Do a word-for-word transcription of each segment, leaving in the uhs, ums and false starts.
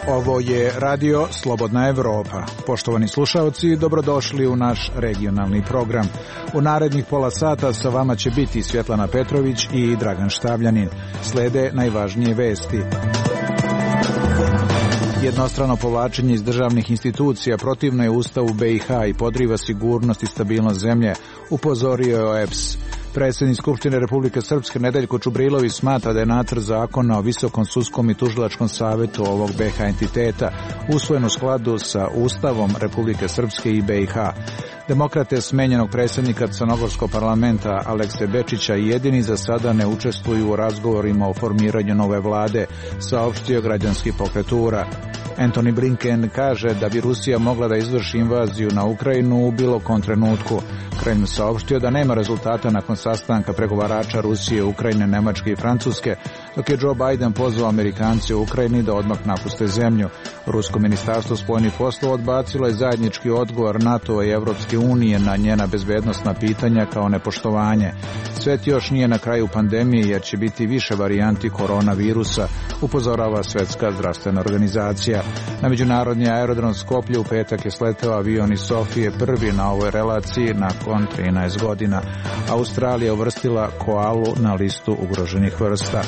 Ovo je Radio Slobodna Evropa. Poštovani slušaoci, dobrodošli u naš regionalni program. U narednih pola sata sa vama će biti Svjetlana Petrović i Dragan Štavljanin. Slede najvažnije vesti. Jednostrano povlačenje iz državnih institucija protivno je Ustavu B i H i podriva sigurnost i stabilnost zemlje, upozorio je O E B S. Predsjednik Skupštine Republike Srpske Nedeljko Čubrilović smatra da je nacrt zakona o Visokom sudskom i tužilačkom savjetu ovog B i H entiteta usvojen u skladu sa Ustavom Republike Srpske i B i H. Demokrate smenjenog predsjednika Crnogorskog parlamenta Alekse Bečića jedini za sada ne učestvuju u razgovorima o formiranju nove vlade, saopštio građanski pokret U R A. Antony Blinken kaže da bi Rusija mogla da izvrši invaziju na Ukrajinu u bilo kom trenutku. Kreml saopštio da nema rezultata nakon sastanka pregovarača Rusije, Ukrajine, Nemačke i Francuske, dok je Joe Biden pozvao Amerikance u Ukrajini da odmah napuste zemlju. Rusko ministarstvo spoljnih poslova odbacilo je zajednički odgovor NATO i Evropske unije na njena bezbednosna pitanja kao nepoštovanje. Svet još nije na kraju pandemije jer će biti više varijanti koronavirusa, upozorava Svetska zdravstvena organizacija. Na međunarodni aerodrom Skoplje u petak je sleteo avion iz Sofije, prvi na ovoj relaciji nakon trinaest godina. Australija uvrstila koalu na listu ugroženih vrsta.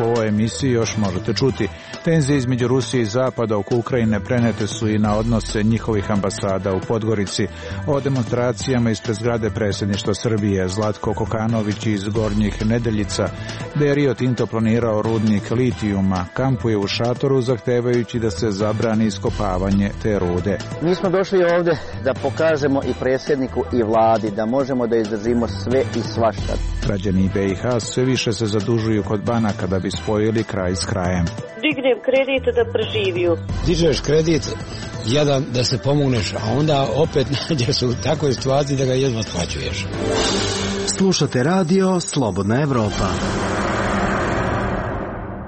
U ovoj emisiji još možete čuti. Tenzije između Rusije i Zapada oko Ukrajine prenete su i na odnose njihovih ambasada u Podgorici. O demonstracijama ispred zgrade predsjedništva Srbije Zlatko Kokanović iz Gornjih Nedeljica, da je Rio Tinto planirao rudnik litijuma, kampuje u šatoru zahtevajući da se zabrani iskopavanje te rude. Mi smo došli ovdje da pokažemo i predsjedniku i vladi da možemo da izdržimo sve i svašta. Građani B i H sve više se zadužuju kod banaka da bi spojili kraj s krajem. Dignem kredit da preživiju. Dižeš kredit, jedan da se pomogneš, a onda opet nađeš u takvoj situaciji da ga jedva otplaćuješ. Slušate Radio Slobodna Evropa.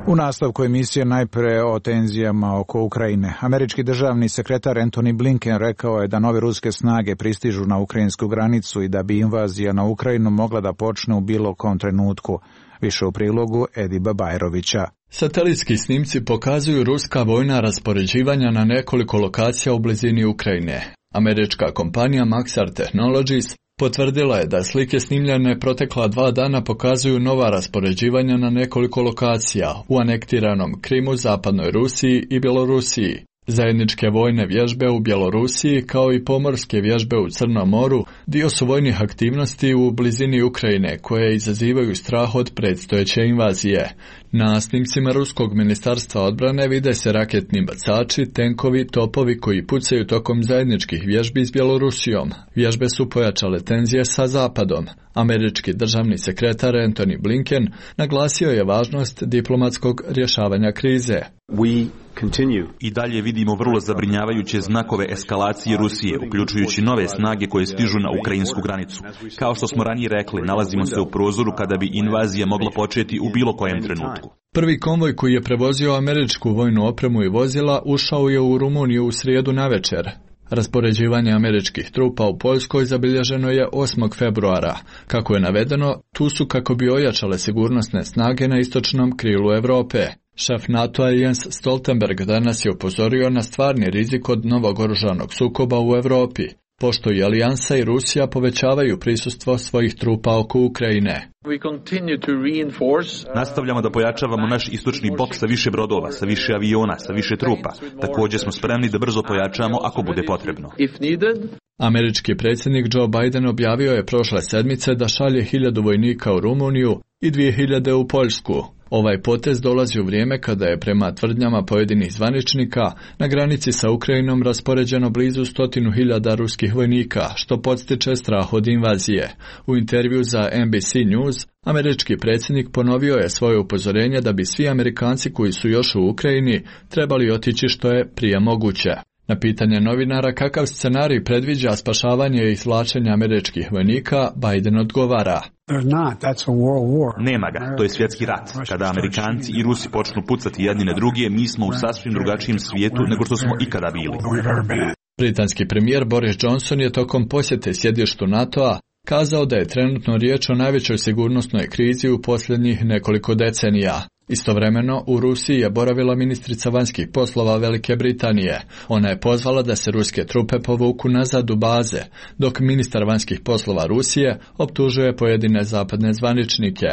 U nastavku emisije najpre o tenzijama oko Ukrajine. Američki državni sekretar Antony Blinken rekao je da nove ruske snage pristižu na ukrajinsku granicu i da bi invazija na Ukrajinu mogla da počne u bilo kom trenutku. Više u prilogu Ediba Bajrovića. Satelitski snimci pokazuju ruska vojna raspoređivanja na nekoliko lokacija u blizini Ukrajine. Američka kompanija Maxar Technologies potvrdila je da slike snimljene protekla dva dana pokazuju nova raspoređivanja na nekoliko lokacija u anektiranom Krimu, zapadnoj Rusiji i Bjelorusiji. Zajedničke vojne vježbe u Bjelorusiji kao i pomorske vježbe u Crnom moru dio su vojnih aktivnosti u blizini Ukrajine koje izazivaju strah od predstojeće invazije. Na snimcima Ruskog ministarstva odbrane vide se raketni bacači, tenkovi, topovi koji pucaju tokom zajedničkih vježbi s Bjelorusijom. Vježbe su pojačale tenzije sa Zapadom. Američki državni sekretar Antony Blinken naglasio je važnost diplomatskog rješavanja krize. We I dalje vidimo vrlo zabrinjavajuće znakove eskalacije Rusije, uključujući nove snage koje stižu na ukrajinsku granicu. Kao što smo ranije rekli, nalazimo se u prozoru kada bi invazija mogla početi u bilo kojem trenutku. Prvi konvoj koji je prevozio američku vojnu opremu i vozila ušao je u Rumuniju u srijedu navečer. Raspoređivanje američkih trupa u Poljskoj zabilježeno je osmog februara. Kako je navedeno, tu su kako bi ojačale sigurnosne snage na istočnom krilu Europe. Šef NATO-a Jens Stoltenberg danas je upozorio na stvarni rizik od novog oružanog sukoba u Europi, pošto i Alijansa i Rusija povećavaju prisustvo svojih trupa oko Ukrajine. Nastavljamo da pojačavamo naš istočni bok sa više brodova, sa više aviona, sa više trupa. Također smo spremni da brzo pojačamo ako bude potrebno. Američki predsjednik Joe Biden objavio je prošle sedmice da šalje hiljadu vojnika u Rumuniju i dvije hiljade u Poljsku. Ovaj potez dolazi u vrijeme kada je prema tvrdnjama pojedinih zvaničnika na granici sa Ukrajinom raspoređeno blizu stotinu hiljada ruskih vojnika, što podstiče strah od invazije. U intervju za N B C News, američki predsjednik ponovio je svoje upozorenje da bi svi Amerikanci koji su još u Ukrajini trebali otići što je prije moguće. Na pitanje novinara kakav scenarij predviđa spašavanje i izvlačenje američkih vojnika, Biden odgovara: Nema ga, to je svjetski rat. Kada Amerikanci i Rusi počnu pucati jedni na druge, mi smo u sasvim drugačijem svijetu nego što smo ikada bili. Britanski premijer Boris Johnson je tokom posjete sjedištu NATO-a kazao da je trenutno riječ o najvećoj sigurnosnoj krizi u posljednjih nekoliko decenija. Istovremeno, u Rusiji je boravila ministrica vanjskih poslova Velike Britanije. Ona je pozvala da se ruske trupe povuku nazad u baze, dok ministar vanjskih poslova Rusije optužuje pojedine zapadne zvaničnike.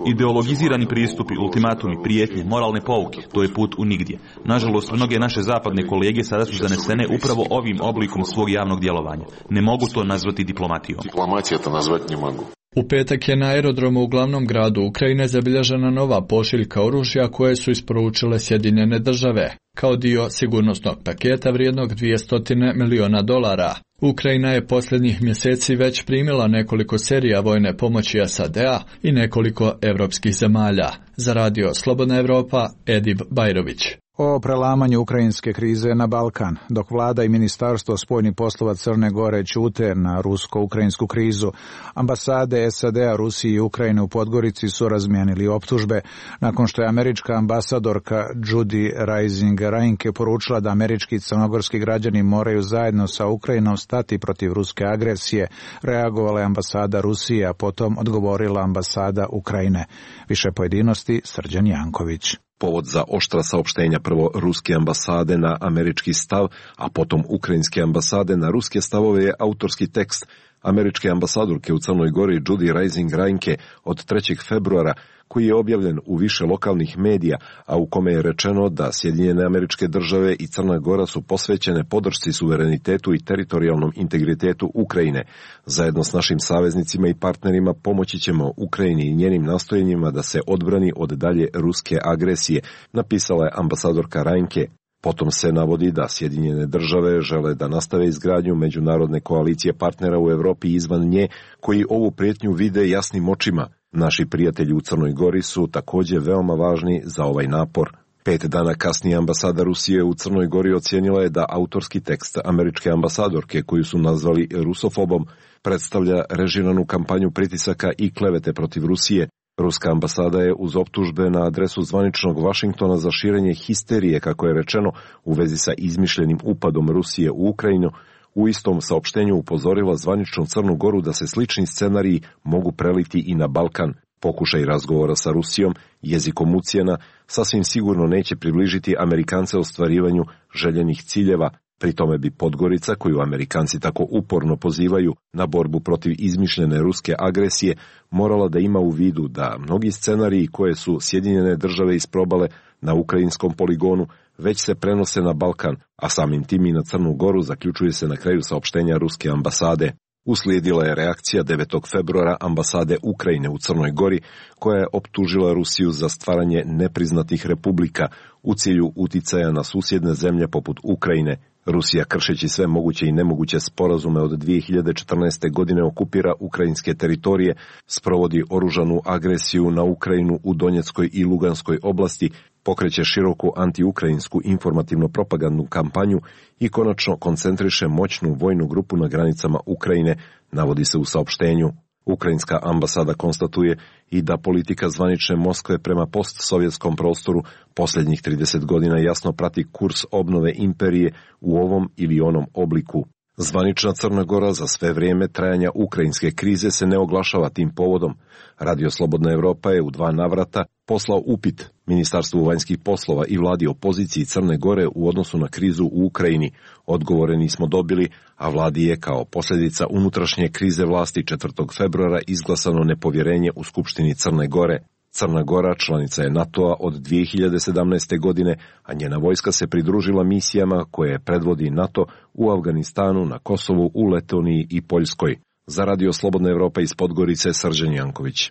Ideologizirani pristupi, ultimatumi, prijetnje, moralne pouke, to je put u nigdje. Nažalost, mnoge naše zapadne kolege sada su zanesene upravo ovim oblikom svog javnog djelovanja. Ne mogu to nazvati diplomatijom. Diplomatija to nazvati ne mogu. U petak je na aerodromu u glavnom gradu Ukrajine zabilježena nova pošiljka oružja koje su isporučile Sjedinjene države, kao dio sigurnosnog paketa vrijednog dvjesto miliona dolara. Ukrajina je posljednjih mjeseci već primila nekoliko serija vojne pomoći S A D-a i nekoliko europskih zemalja. Za radio Slobodna Evropa, Edib Bajrović. O prelamanju ukrajinske krize na Balkan, dok vlada i ministarstvo spoljnih poslova Crne Gore ćute na rusko-ukrajinsku krizu, ambasade S A D-a, Rusije i Ukrajine u Podgorici su razmijenili optužbe, nakon što je američka ambasadorka Judy Rising Reinke poručila da američki i crnogorski građani moraju zajedno sa Ukrajinom stati protiv ruske agresije. Reagovala je ambasada Rusije, a potom odgovorila ambasada Ukrajine. Više pojedinosti Srđan Janković. Povod za oštra saopštenja prvo ruske ambasade na američki stav, a potom ukrajinske ambasade na ruske stavove je autorski tekst američke ambasadorke u Crnoj Gori Judy Rising Reinke od trećeg februara, koji je objavljen u više lokalnih medija, a u kome je rečeno da Sjedinjene Američke Države i Crna Gora su posvećene podršci suverenitetu i teritorijalnom integritetu Ukrajine. Zajedno s našim saveznicima i partnerima pomoći ćemo Ukrajini i njenim nastojenjima da se odbrani od dalje ruske agresije, napisala je ambasadorka Reinke. Potom se navodi da Sjedinjene Države žele da nastave izgradnju međunarodne koalicije partnera u Europi i izvan nje, koji ovu prijetnju vide jasnim očima. Naši prijatelji u Crnoj Gori su također veoma važni za ovaj napor. Pet dana kasnije ambasada Rusije u Crnoj Gori ocijenila je da autorski tekst američke ambasadorke, koju su nazvali rusofobom, predstavlja režiranu kampanju pritisaka i klevete protiv Rusije. Ruska ambasada je uz optužbe na adresu zvaničnog Vašingtona za širenje histerije, kako je rečeno, u vezi sa izmišljenim upadom Rusije u Ukrajinu, u istom saopštenju upozorila zvaničnu Crnu Goru da se slični scenariji mogu preliti i na Balkan. Pokušaj razgovora sa Rusijom, jezikom ucjena, sasvim sigurno neće približiti Amerikance ostvarivanju željenih ciljeva. Pri tome bi Podgorica, koju Amerikanci tako uporno pozivaju na borbu protiv izmišljene ruske agresije, morala da ima u vidu da mnogi scenariji koje su Sjedinjene Države isprobale na ukrajinskom poligonu već se prenose na Balkan, a samim tim i na Crnu Goru, zaključuje se na kraju saopštenja ruske ambasade. Uslijedila je reakcija devetog februara ambasade Ukrajine u Crnoj Gori, koja je optužila Rusiju za stvaranje nepriznatih republika u cilju uticaja na susjedne zemlje poput Ukrajine. Rusija, kršeći sve moguće i nemoguće sporazume od dvije hiljade četrnaeste. godine, okupira ukrajinske teritorije, sprovodi oružanu agresiju na Ukrajinu u Donjeckoj i Luganskoj oblasti, pokreće široku antiukrajinsku informativno-propagandnu kampanju i konačno koncentriše moćnu vojnu grupu na granicama Ukrajine, navodi se u saopštenju. Ukrajinska ambasada konstatuje i da politika zvanične Moskve prema postsovjetskom prostoru posljednjih trideset godina jasno prati kurs obnove imperije u ovom ili onom obliku. Zvanična Crna Gora za sve vrijeme trajanja ukrajinske krize se ne oglašava tim povodom. Radio Slobodna Evropa je u dva navrata poslao upit Ministarstvu vanjskih poslova i vladi opoziciji Crne Gore u odnosu na krizu u Ukrajini. Odgovore nismo dobili, a vladi je kao posljedica unutrašnje krize vlasti četvrtog februara izglasano nepovjerenje u Skupštini Crne Gore. Crna Gora članica je NATO-a od dvije hiljade sedamnaeste. godine, a njena vojska se pridružila misijama koje predvodi NATO u Afganistanu, na Kosovu, u Letoniji i Poljskoj. Za Radio Slobodna Evropa iz Podgorice, Srđan Janković.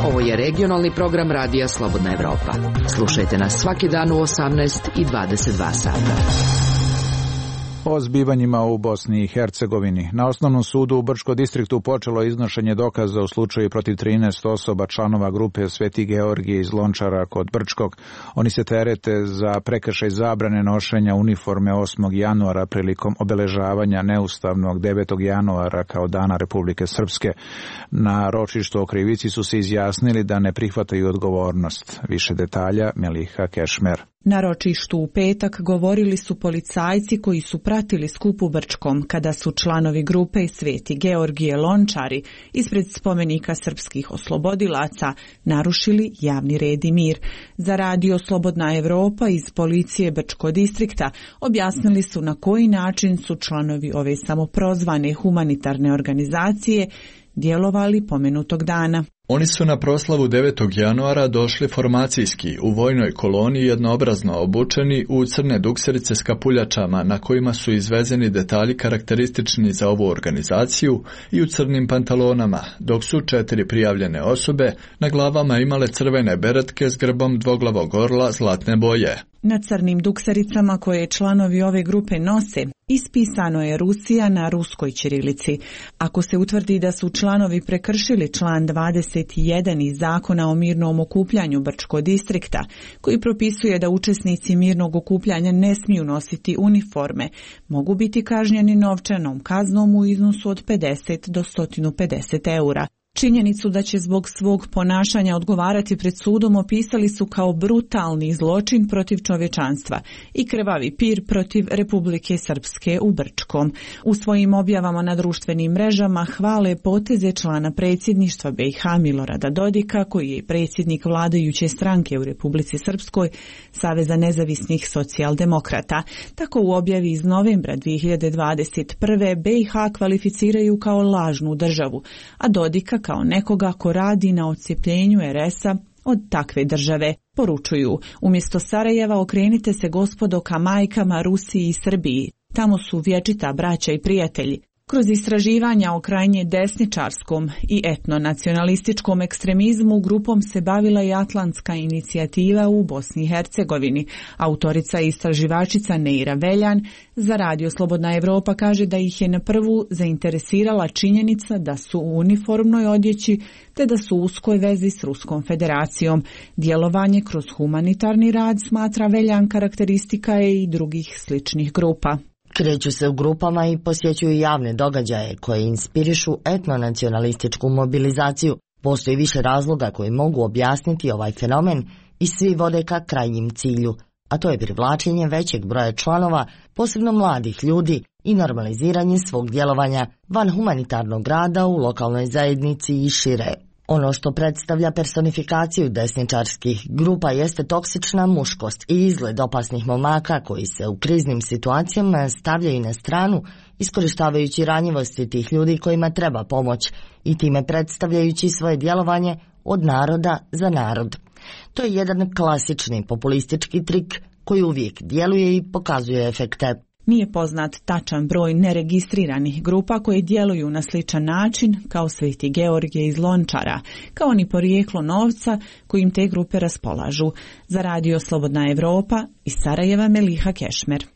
Ovo je regionalni program Radija Slobodna Evropa. Slušajte nas svaki dan u osamnaest i dvadeset dva sata. O zbivanjima u Bosni i Hercegovini. Na osnovnom sudu u Brčko distriktu počelo iznošenje dokaza u slučaju protiv trinaest osoba članova grupe Sveti Georgije iz Lončara kod Brčkog. Oni se terete za prekršaj zabrane nošenja uniforme osmog januara prilikom obeležavanja neustavnog devetog januara kao Dana Republike Srpske. Na ročištu o krivici su se izjasnili da ne prihvataju odgovornost. Više detalja Meliha Kešmer. Na ročištu u petak govorili su policajci koji su pratili skup u Brčkom kada su članovi grupe Sveti Georgije Lončari ispred spomenika srpskih oslobodilaca narušili javni red i mir. Za radio Slobodna Evropa iz policije Brčko distrikta objasnili su na koji način su članovi ove samoprozvane humanitarne organizacije djelovali pomenutog dana. Oni su na proslavu devetog januara došli formacijski u vojnoj koloni jednoobrazno obučeni u crne dukserice s kapuljačama na kojima su izvezeni detalji karakteristični za ovu organizaciju i u crnim pantalonama, dok su četiri prijavljene osobe na glavama imale crvene beretke s grbom dvoglavog orla zlatne boje. Na crnim duksericama koje članovi ove grupe nose ispisano je Rusija na ruskoj ćirilici. Ako se utvrdi da su članovi prekršili član dvadeset jedan iz Zakona o mirnom okupljanju Brčko distrikta, koji propisuje da učesnici mirnog okupljanja ne smiju nositi uniforme, mogu biti kažnjeni novčanom kaznom u iznosu od pedeset do sto pedeset eura. Činjenicu da će zbog svog ponašanja odgovarati pred sudom opisali su kao brutalni zločin protiv čovječanstva i krvavi pir protiv Republike Srpske u Brčkom. U svojim objavama na društvenim mrežama hvale poteze člana predsjedništva B i H Milorada Dodika, koji je predsjednik vladajuće stranke u Republici Srpskoj, Saveza nezavisnih socijaldemokrata. Tako u objavi iz novembra dvije hiljade dvadeset prve. B i H kvalificiraju kao lažnu državu, a Dodika kao nekoga ko radi na odcijepljenju er es-a od takve države. Poručuju, umjesto Sarajeva okrenite se gospodo ka majkama Rusiji i Srbiji. Tamo su vječita braća i prijatelji. Kroz istraživanja o krajnje desničarskom i etnonacionalističkom ekstremizmu grupom se bavila i Atlantska inicijativa u Bosni i Hercegovini. Autorica i istraživačica Neira Veljan za radio Slobodna Evropa kaže da ih je na prvu zainteresirala činjenica da su u uniformnoj odjeći te da su u uskoj vezi s Ruskom federacijom. Djelovanje kroz humanitarni rad, smatra Veljan, karakteristika je i drugih sličnih grupa. Kreću se u grupama i posjećuju javne događaje koje inspirišu etnonacionalističku mobilizaciju. Postoji više razloga koji mogu objasniti ovaj fenomen i svi vode ka krajnjim cilju, a to je privlačenje većeg broja članova, posebno mladih ljudi, i normaliziranje svog djelovanja van humanitarnog rada u lokalnoj zajednici i šire. Ono što predstavlja personifikaciju desničarskih grupa jeste toksična muškost i izgled opasnih momaka koji se u kriznim situacijama stavljaju na stranu, iskorištavajući ranjivosti tih ljudi kojima treba pomoć i time predstavljajući svoje djelovanje od naroda za narod. To je jedan klasični populistički trik koji uvijek djeluje i pokazuje efekte. Nije poznat tačan broj neregistriranih grupa koje djeluju na sličan način kao Sveti Georgije iz Lončara, kao ni porijeklo novca kojim te grupe raspolažu. Za radio Slobodna Evropa iz Sarajeva Meliha Kešmer.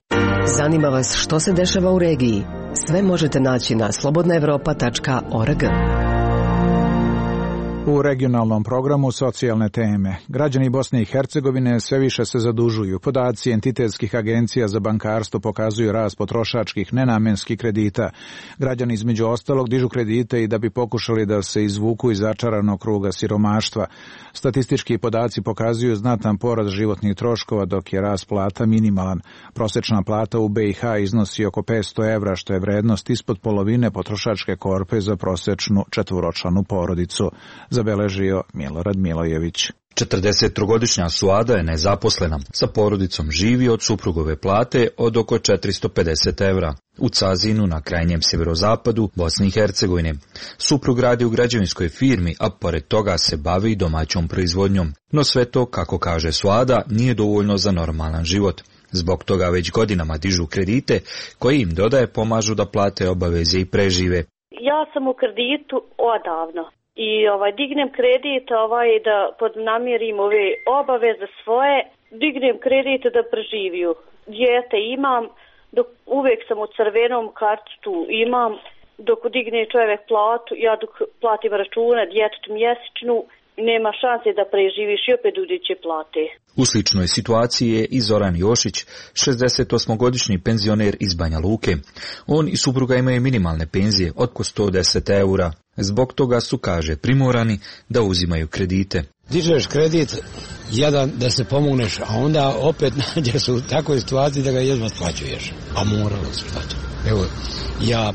Zanima vas što se dešava u regiji? Sve možete naći na slobodna evropa tačka org. U regionalnom programu socijalne teme. Građani Bosne i Hercegovine sve više se zadužuju. Podaci entitetskih agencija za bankarstvo pokazuju rast potrošačkih nenamenskih kredita. Građani između ostalog dižu kredite i da bi pokušali da se izvuku iz začaranog kruga siromaštva. Statistički podaci pokazuju znatan porast životnih troškova, dok je rast plata minimalan. Prosječna plata u B i H iznosi oko petsto evra, što je vrednost ispod polovine potrošačke korpe za prosječnu četvoročlanu porodicu, zabeležio Milorad Milojević. četrdesettrogodišnja Suada je nezaposlena. Sa porodicom živi od suprugove plate od oko četiristo pedeset evra. U Cazinu, na krajnjem sjeverozapadu Bosne i Hercegovine. Suprug radi u građevinskoj firmi, a pored toga se bavi i domaćom proizvodnjom. No sve to, kako kaže Suada, nije dovoljno za normalan život. Zbog toga već godinama dižu kredite koji im dodaje pomažu da plate obaveze i prežive. Ja sam u kreditu odavno. I ovaj dignem kredit ovaj da podnamirim ove obaveze svoje, dignem kredit da preživiju. Dijete imam, dok uvijek sam u crvenom kartu imam, dok digne čovjek platu, ja dok platim račune djetetu mjesečnu, nema šanse da preživiš i opet udiće plate. U sličnoj situaciji je i Zoran Jošić, šezdesetosmogodišnji penzioner iz Banja Luke. On i supruga imaju minimalne penzije od oko sto deset eura. Zbog toga su, kaže, primorani da uzimaju kredite. Dižeš kredit, jedan da se pomogneš, a onda opet nađeš u takvoj situaciji da ga jedva splaćuješ. A moralo se šta. Evo, ja,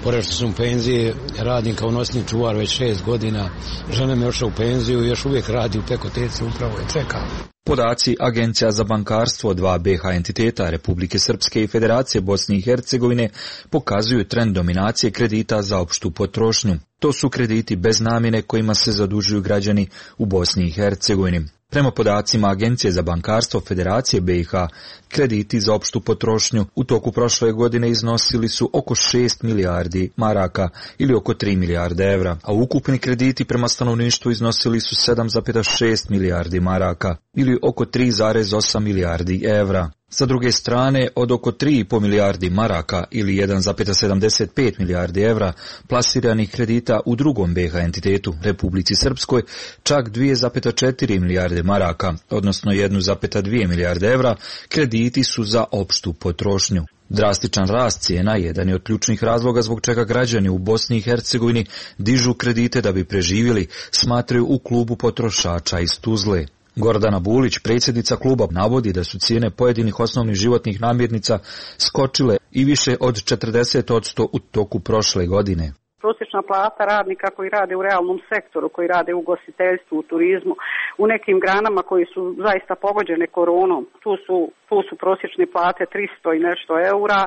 pored što sam u penziji, radim kao nosni čuvar već šest godina, žena me ošla u penziju i još uvijek radi u Pekoteci, upravo je čeka. Podaci Agencija za bankarstvo dva be ha entiteta Republike Srpske i Federacije Bosne i Hercegovine pokazuju trend dominacije kredita za opštu potrošnju. To su krediti bez namjene kojima se zadužuju građani u Bosni i Hercegovini. Prema podacima Agencije za bankarstvo Federacije be i ha, krediti za opštu potrošnju u toku prošle godine iznosili su oko šest milijardi maraka ili oko tri milijarde evra, a ukupni krediti prema stanovništvu iznosili su sedam zarez šest milijardi maraka ili oko tri zarez osam milijardi evra. Sa druge strane, od oko tri zarez pet milijardi maraka ili jedan zarez sedamdeset pet milijardi evra plasiranih kredita u drugom be ha entitetu, Republici Srpskoj, čak dvije zarez četiri milijarde maraka, odnosno jedan zarez dvije milijarde evra, krediti su za opštu potrošnju. Drastičan rast cijena jedan je od ključnih razloga zbog čega građani u Bosni i Hercegovini dižu kredite da bi preživjeli, smatraju u klubu potrošača iz Tuzle. Gordana Bulić, predsjednica kluba, navodi da su cijene pojedinih osnovnih životnih namirnica skočile i više od četrdeset posto u toku prošle godine. Prosječna plata radnika koji rade u realnom sektoru, koji rade u ugostiteljstvu, u turizmu, u nekim granama koji su zaista pogođene koronom, tu su, tu su prosječne plate tristo i nešto eura,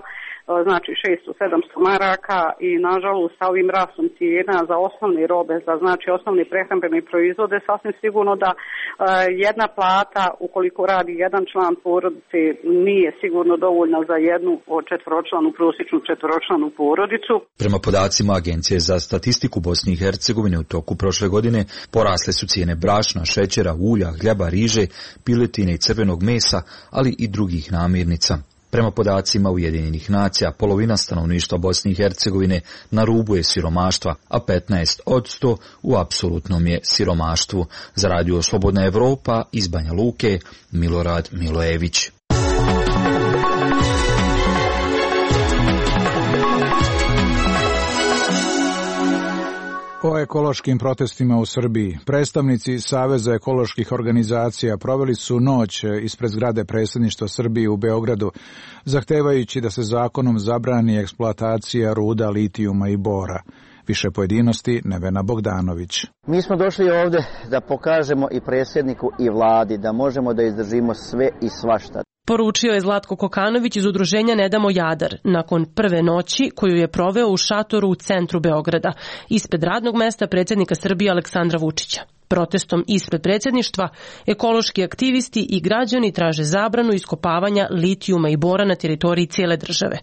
znači šesto do sedamsto maraka i nažalost sa ovim rastom cijena za osnovne robe, za znači osnovne prehrambene proizvode, sasvim sigurno da uh, jedna plata ukoliko radi jedan član porodice nije sigurno dovoljna za jednu četvoročlanu, prosječnu četvoročlanu porodicu. Prema podacima Agencije za statistiku Bosne i Hercegovine u toku prošle godine porasle su cijene brašna, šećera, ulja, hljeba, riže, piletine i crvenog mesa, ali i drugih namirnica. Prema podacima Ujedinjenih nacija, polovina stanovništva Bosne i Hercegovine na rubu je siromaštva, a petnaest posto u apsolutnom je siromaštvu. Za Radio Slobodna Evropa iz Banja Luke, Milorad Milojević. O ekološkim protestima u Srbiji. Predstavnici Saveza ekoloških organizacija proveli su noć ispred zgrade predsjedništva Srbije u Beogradu, zahtevajući da se zakonom zabrani eksploatacija ruda litijuma i bora. Više pojedinosti Nevena Bogdanović. Mi smo došli ovdje da pokažemo i predsjedniku i vladi da možemo da izdržimo sve i svašta. Poručio je Zlatko Kokanović iz udruženja Ne damo Jadar nakon prve noći koju je proveo u šatoru u centru Beograda, ispred radnog mesta predsjednika Srbije Aleksandra Vučića. Protestom ispred predsjedništva ekološki aktivisti i građani traže zabranu iskopavanja litijuma i bora na teritoriji cijele države.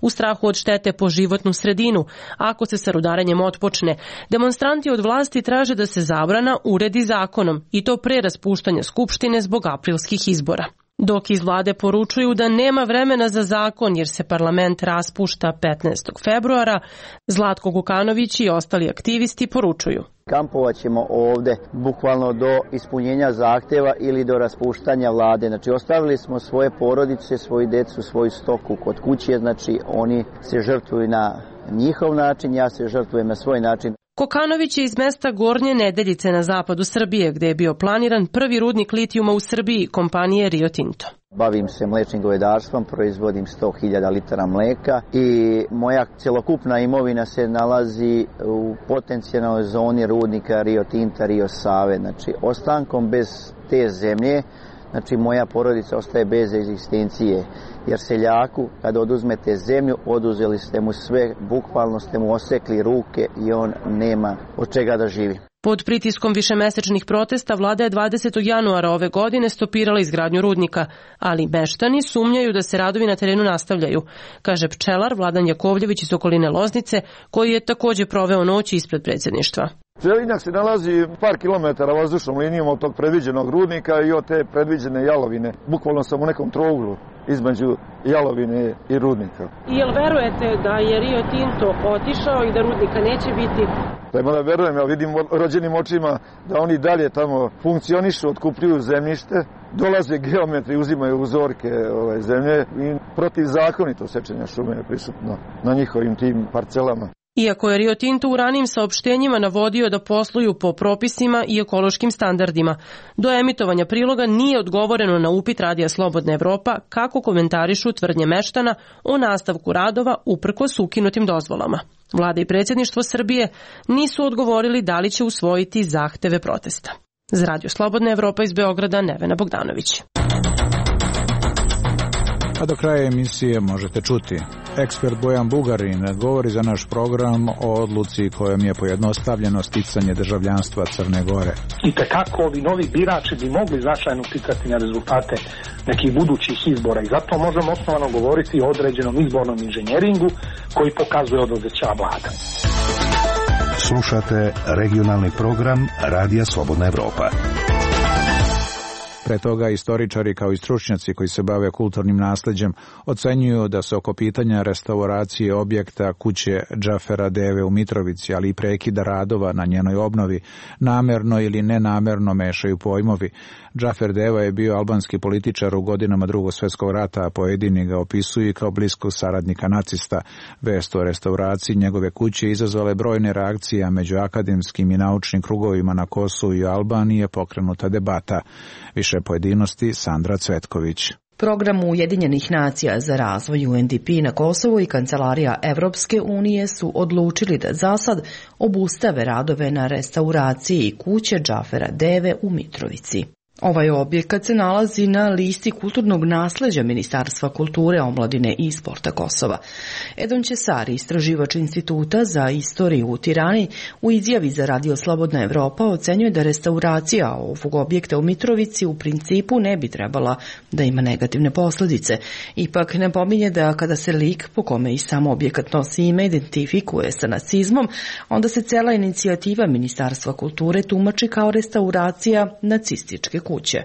U strahu od štete po životnu sredinu, ako se sa rudarenjem otpočne, demonstranti od vlasti traže da se zabrana uredi zakonom i to pre raspuštanja Skupštine zbog aprilskih izbora. Dok iz vlade poručuju da nema vremena za zakon jer se parlament raspušta petnaestog februara, Zlatko Kokanović i ostali aktivisti poručuju: Kampovat ćemo ovdje bukvalno do ispunjenja zahtjeva ili do raspuštanja vlade. Znači ostavili smo svoje porodice, svoju djecu, svoju stoku kod kuće, znači oni se žrtvuju na njihov način, ja se žrtvujem na svoj način. Kokanović je iz mesta Gornje Nedeljice na zapadu Srbije, gdje je bio planiran prvi rudnik litijuma u Srbiji, kompanije Rio Tinto. Bavim se mlečnim govedarstvom, proizvodim sto hiljada litara mleka i moja cjelokupna imovina se nalazi u potencijalnoj zoni rudnika Rio Tinta, Rio Save. Znači ostankom bez te zemlje, znači moja porodica ostaje bez egzistencije. Jer seljaku, kada oduzmete zemlju, oduzeli ste mu sve, bukvalno ste mu osekli ruke i on nema od čega da živi. Pod pritiskom višemesečnih protesta vlada je dvadesetog januara ove godine stopirala izgradnju rudnika, ali meštani sumnjaju da se radovi na terenu nastavljaju, kaže pčelar Vladan Jakovljević iz okoline Loznice, koji je također proveo noć ispred predsjedništva. Želinjak se nalazi par kilometara vazdušnom linijom od tog predviđenog rudnika i od te predviđene jalovine. Bukvalno sam u nekom trouglu između jalovine i rudnika. I jel verujete da je Rio Tinto otišao i da rudnika neće biti? Tajmo da verujem, ja vidim rođenim očima da oni dalje tamo funkcionišu, otkupljuju zemljište, dolaze geometri, uzimaju uzorke ove zemlje i protivzakonito sečenja šume je prisutno na njihovim tim parcelama. Iako je Rio Tinto u ranijim saopštenjima navodio da posluju po propisima i ekološkim standardima, do emitovanja priloga nije odgovoreno na upit Radija Slobodna Evropa kako komentarišu tvrdnje meštana o nastavku radova uprkos ukinutim dozvolama. Vlada i predsjedništvo Srbije nisu odgovorili da li će usvojiti zahteve protesta. Za Radio Slobodna Evropa iz Beograda, Nevena Bogdanović. A do kraja emisije možete čuti. Ekspert Bojan Bugarin govori za naš program o odluci kojom je pojednostavljeno sticanje državljanstva Crne Gore. I tekako ovi novi birači bi mogli značajno uticati na rezultate nekih budućih izbora i zato možemo osnovano govoriti o određenom izbornom inženjeringu koji pokazuje odlazeća vlada. Slušate regionalni program Radija Slobodna Evropa. Pre toga istoričari kao i stručnjaci koji se bave kulturnim nasleđem ocenjuju da se oko pitanja restauracije objekta kuće Džafera Deve u Mitrovici, ali i prekida radova na njenoj obnovi, namerno ili nenamerno mešaju pojmovi. Džafer Deva je bio albanski političar u godinama Drugog svjetskog rata, a pojedini ga opisuju kao bliskog saradnika nacista. Vest o restauraciji njegove kuće izazvala je brojne reakcije, a među akademskim i naučnim krugovima na Kosovu i Albaniji je pokrenuta debata. Više pojedinosti Sandra Cvetković. Program Ujedinjenih nacija za razvoj U N D P na Kosovu i Kancelarija Evropske unije su odlučili da zasad obustave radove na restauraciji kuće Džafera Deve u Mitrovici. Ovaj objekat se nalazi na listi kulturnog nasleđa Ministarstva kulture, omladine i sporta Kosova. Edon Ćesari, istraživač Instituta za istoriju u Tirani, u izjavi za Radio Slobodna Evropa ocenjuje da restauracija ovog objekta u Mitrovici u principu ne bi trebala da ima negativne posljedice. Ipak napominje da kada se lik po kome i sam objekat nosi ime identifikuje sa nacizmom, onda se cela inicijativa Ministarstva kulture tumači kao restauracija nacističke kuće.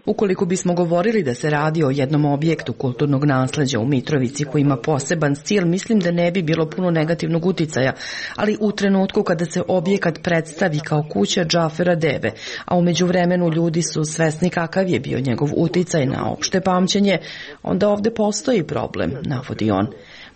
Ukoliko bismo govorili da se radi o jednom objektu kulturnog nasleđa u Mitrovici koji ima poseban stil, mislim da ne bi bilo puno negativnog uticaja, ali u trenutku kada se objekat predstavi kao kuća Džafera Deve, a u međuvremenu ljudi su svesni kakav je bio njegov uticaj na opšte pamćenje, onda ovde postoji problem, navodi on.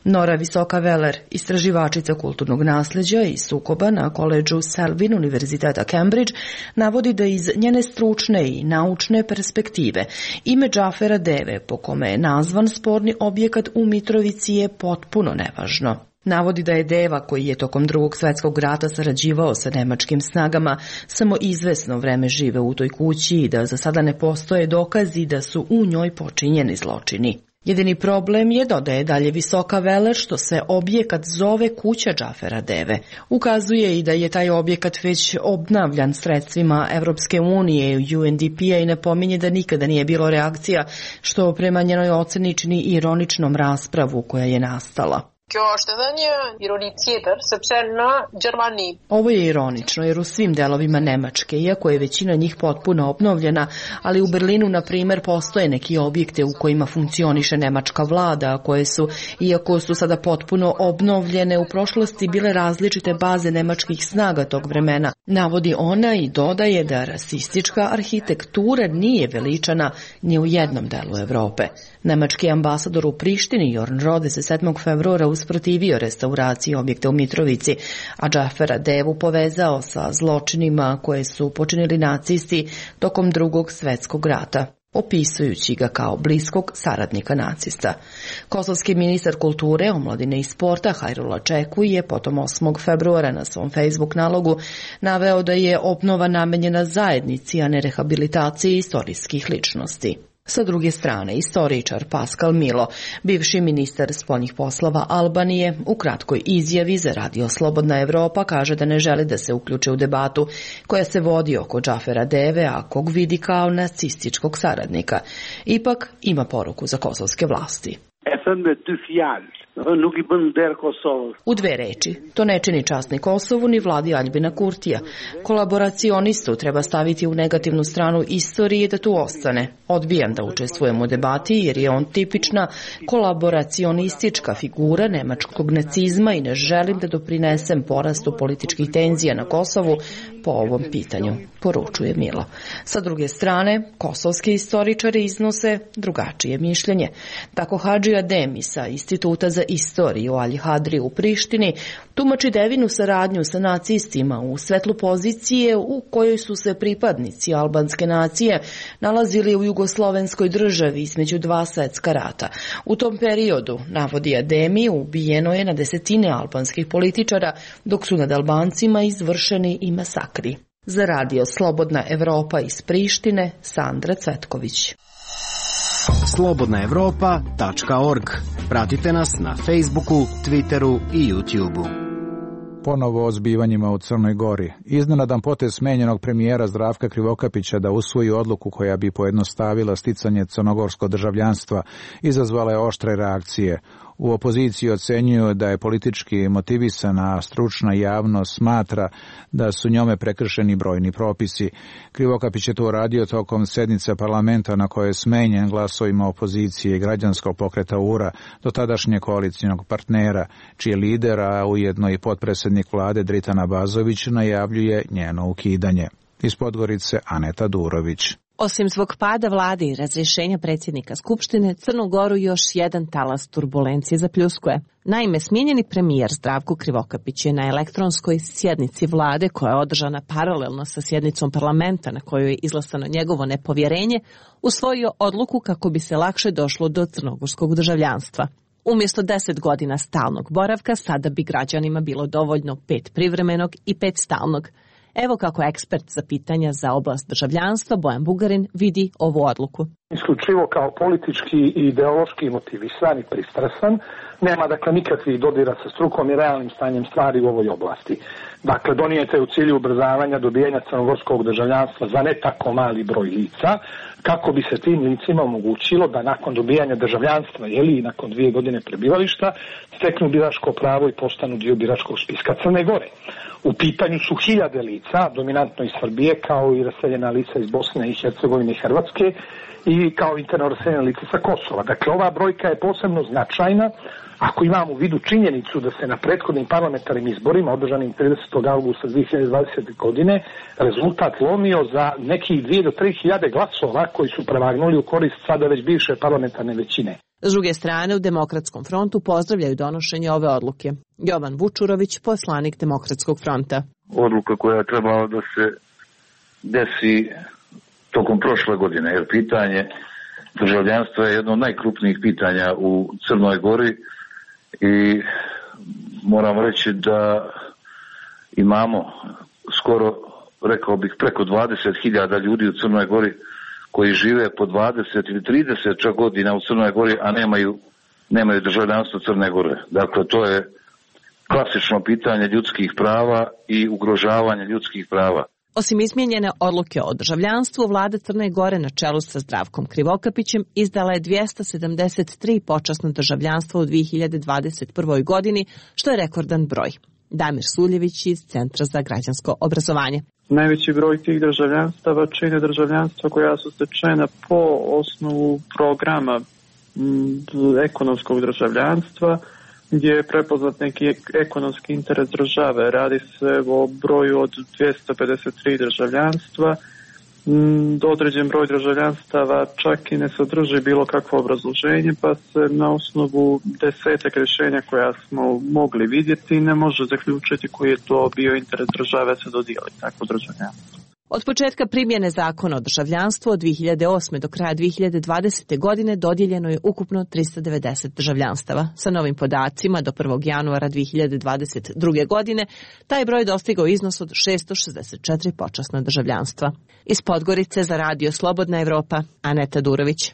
Nora Visoka-Veler, istraživačica kulturnog nasleđa i sukoba na koledžu Selwyn Univerziteta Cambridge, navodi da iz njene stručne i naučne perspektive ime Džafera Deve, po kome je nazvan sporni objekat u Mitrovici, je potpuno nevažno. Navodi da je Deva, koji je tokom Drugog svjetskog rata sarađivao sa nemačkim snagama, samo izvesno vreme žive u toj kući i da za sada ne postoje dokazi da su u njoj počinjeni zločini. Jedini problem je, dodaje dalje Visoka-Veler, što se objekat zove kuća Džafera Deve. Ukazuje i da je taj objekat već obnavljan sredstvima Evropske unije i U N D P-a i napominje da nikada nije bilo reakcija, što prema njenoj oceni čini ironičnom raspravu koja je nastala. Ovo je ironično jer u svim delovima Nemačke, iako je većina njih potpuno obnovljena, ali u Berlinu, na primjer, postoje neki objekte u kojima funkcioniše nemačka vlada, koje su, iako su sada potpuno obnovljene, u prošlosti bile različite baze nemačkih snaga tog vremena. Navodi ona i dodaje da rasistička arhitektura nije veličana ni u jednom delu Evrope. Nemački ambasador u Prištini, Jorn Rode, se sedmog februara usprotivio restauraciji objekta u Mitrovici, a Džafera Devu povezao sa zločinima koje su počinili nacisti tokom Drugog svjetskog rata, opisujući ga kao bliskog saradnika nacista. Kosovski ministar kulture, omladine i sporta Hajrula Čekuj je potom osmog februara na svom Facebook nalogu naveo da je obnova namenjena zajednici, a ne rehabilitaciji istorijskih ličnosti. Sa druge strane, istoričar Pascal Milo, bivši ministar spoljnih poslova Albanije, u kratkoj izjavi za Radio Slobodna Evropa kaže da ne želi da se uključe u debatu koja se vodi oko Džafera Deve, a kog vidi kao nacističkog saradnika. Ipak ima poruku za kosovske vlasti. U dve reči, to ne čini čast ni Kosovu ni vladi Aljbina Kurtija. Kolaboracionistu treba staviti u negativnu stranu istorije da tu ostane. Odbijam da učestvujem u debati jer je on tipična kolaboracionistička figura nemačkog nacizma i ne želim da doprinesem porastu političkih tenzija na Kosovu po ovom pitanju, poručuje Milo. Sa druge strane, kosovski istoričari iznose drugačije mišljenje. Tako Hadži Ademi sa Instituta za istoriju Alji Hadri u Prištini, tumači Devinu saradnju sa nacistima u svetlu pozicije u kojoj su se pripadnici albanske nacije nalazili u jugoslovenskoj državi između dva svetska rata. U tom periodu, navodi Ademi, ubijeno je na desetine albanskih političara, dok su nad Albancima izvršeni i masakri. Za radio Slobodna Evropa iz Prištine, Sandra Cvetković. slobodna evropa tačka org. Pratite nas na Facebooku, Twitteru i YouTubeu. Ponovo o zbivanjima u Crnoj Gori. Iznenadan potez smenjenog premijera Zdravka Krivokapića da usvoji odluku koja bi pojednostavila sticanje crnogorskog državljanstva izazvala je oštre reakcije. U opoziciji ocenjuju da je politički motivisana, a stručna javnost smatra da su njome prekršeni brojni propisi. Krivokapić je to uradio tokom sednice parlamenta na kojoj je smenjen glasovima opozicije i građanskog pokreta U R A, do tadašnje koalicijnog partnera, čiji lider, a ujedno i potpredsjednik vlade Dritan Abazović, najavljuje njeno ukidanje. Iz Podgorice Aneta Durović. Osim svog pada vlade i razrješenja predsjednika Skupštine, Crnu Goru još jedan talas turbulencije zapljuskuje. Naime, smijenjeni premijer Zdravko Krivokapić je na elektronskoj sjednici vlade, koja je održana paralelno sa sjednicom parlamenta na kojoj je izglasano njegovo nepovjerenje, usvojio odluku kako bi se lakše došlo do crnogorskog državljanstva. Umjesto deset godina stalnog boravka, sada bi građanima bilo dovoljno pet privremenog i pet stalnog. Evo kako ekspert za pitanja za oblast državljanstva Bojan Bugarin vidi ovu odluku. Isključivo kao politički i ideološki motivisan i pristrasan, nema dakle nikakvih dodira sa strukom i realnim stanjem stvari u ovoj oblasti. Dakle, donijete u cilju ubrzavanja dobijanja crnogorskog državljanstva za ne tako mali broj lica, kako bi se tim licima omogućilo da nakon dobijanja državljanstva, jeli i nakon dvije godine prebivališta, steknu biračko pravo i postanu dio biračkog spiska Crne Gore. U pitanju su hiljade lica, dominantno iz Srbije, kao i raseljena lica iz Bosne i Hercegovine i Hrvatske, i kao interno raseljena lica sa Kosova. Dakle, ova brojka je posebno značajna ako imamo u vidu činjenicu da se na prethodnim parlamentarnim izborima, održanim tridesetog avgusta dvije hiljade dvadesete. godine, rezultat lomio za nekih dvije do tri hiljade glasova koji su prevagnuli u korist sada već bivše parlamentarne većine. S druge strane, u Demokratskom frontu pozdravljaju donošenje ove odluke. Jovan Vučurović, poslanik Demokratskog fronta. Odluka koja je trebala da se desi tokom prošle godine, jer pitanje državljanstva je jedno od najkrupnijih pitanja u Crnoj Gori i moram reći da imamo skoro, rekao bih, preko dvadeset hiljada ljudi u Crnoj Gori koji žive po dvadeset ili trideset čak godina u Crnoj Gori, a nemaju, nemaju državljanstvo Crne Gore. Dakle, to je klasično pitanje ljudskih prava i ugrožavanje ljudskih prava. Osim izmijenjene odluke o državljanstvu, vlada Crne Gore na čelu sa Zdravkom Krivokapićem izdala je dvjesto sedamdeset tri počasna državljanstva u dvije hiljade dvadeset prvoj. godini, što je rekordan broj. Damir Suljević iz Centra za građansko obrazovanje. Najveći broj tih državljanstava čine državljanstva koja su stečena po osnovu programa m, ekonomskog državljanstva, gdje je prepoznat neki ekonomski interes države. Radi se o broju od dvjesto pedeset tri državljanstva. Određen broj državljanstava čak i ne sadrži bilo kakvo obrazloženje, pa se na osnovu desetak rješenja koja smo mogli vidjeti ne može zaključiti koji je to bio interes države se dodijeli takvo državljanstvo. Od početka primjene zakona o državljanstvu od dvije hiljade osme. do kraja dvije hiljade dvadesete. godine dodijeljeno je ukupno tristo devedeset državljanstava. Sa novim podacima do prvog januara dvije hiljade dvadeset druge. godine taj broj dostigao iznos od šesto šezdeset četiri počasna državljanstva. Iz Podgorice za radio Slobodna Evropa, Aneta Durović.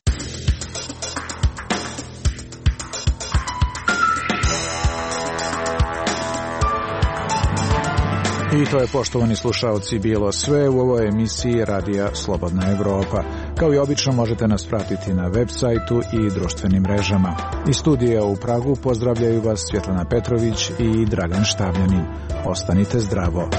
I to je, poštovani slušalci, bilo sve u ovoj emisiji Radija Slobodna Evropa. Kao i obično možete nas pratiti na web sajtu i društvenim mrežama. Iz studija u Pragu pozdravljaju vas Svjetlana Petrović i Dragan Štavljanin. Ostanite zdravo.